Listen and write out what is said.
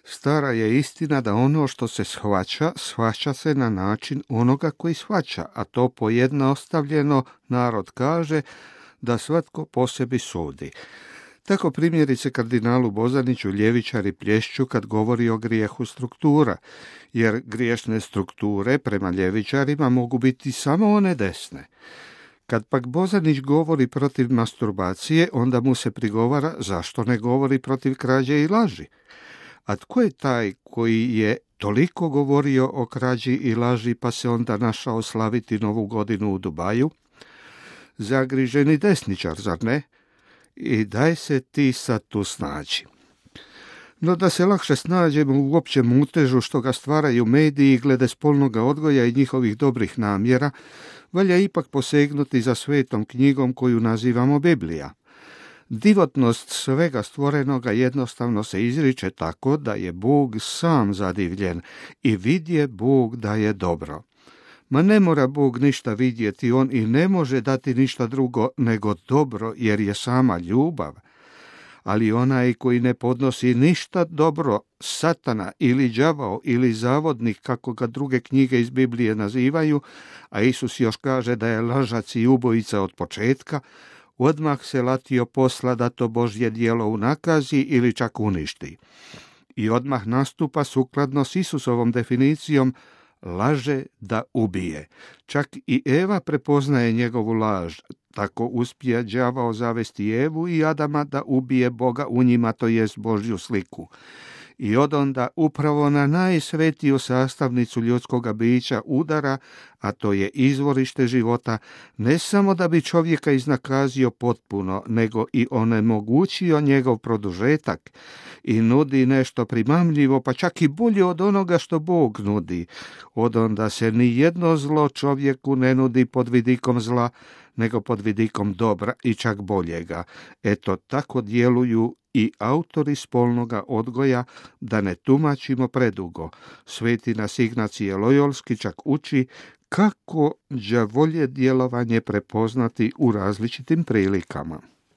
Stara je istina da ono što se shvaća, shvaća se na način onoga koji shvaća, a to pojednostavljeno narod kaže da svatko po sebi sudi. Tako primjerice kardinalu Bozaniću ljevičari plješću kad govori o grijehu struktura, jer griješne strukture prema ljevičarima mogu biti samo one desne. Kad pak Bozanić govori protiv masturbacije, onda mu se prigovara zašto ne govori protiv krađe i laži. A tko je taj koji je toliko govorio o krađi i laži pa se onda našao slaviti Novu godinu u Dubaju? Zagriženi desničar, zar ne? I daj se ti sad tu snađi. No da se lakše snađemo u općem mutežu što ga stvaraju mediji glede spolnoga odgoja i njihovih dobrih namjera, valja ipak posegnuti za svetom knjigom koju nazivamo Biblija. Divotnost svega stvorenoga jednostavno se izriče tako da je Bog sam zadivljen i vidje Bog da je dobro. Ma ne mora Bog ništa vidjeti, on i ne može dati ništa drugo nego dobro, jer je sama ljubav. Ali onaj koji ne podnosi ništa dobro, satana ili đavao ili zavodnik, kako ga druge knjige iz Biblije nazivaju, a Isus još kaže da je lažac i ubojica od početka, odmah se latio posla da to Božje djelo unakazi ili čak uništi. I odmah nastupa sukladno s Isusovom definicijom laže da ubije. Čak i Eva prepoznaje njegovu laž, tako uspije đavao zavesti Evu i Adama da ubije Boga u njima, to jest Božju sliku. I odonda upravo na najsvetiju sastavnicu ljudskoga bića udara, a to je izvorište života, ne samo da bi čovjeka iznakazio potpuno, nego i onemogućio njegov produžetak i nudi nešto primamljivo, pa čak i bolje od onoga što Bog nudi. Odonda se ni jedno zlo čovjeku ne nudi pod vidikom zla, nego pod vidikom dobra i čak boljega. Eto, tako djeluju i autori spolnoga odgoja, da ne tumačimo predugo. Sveti nas Ignacije Lojolski čak uči kako đavolje djelovanje prepoznati u različitim prilikama.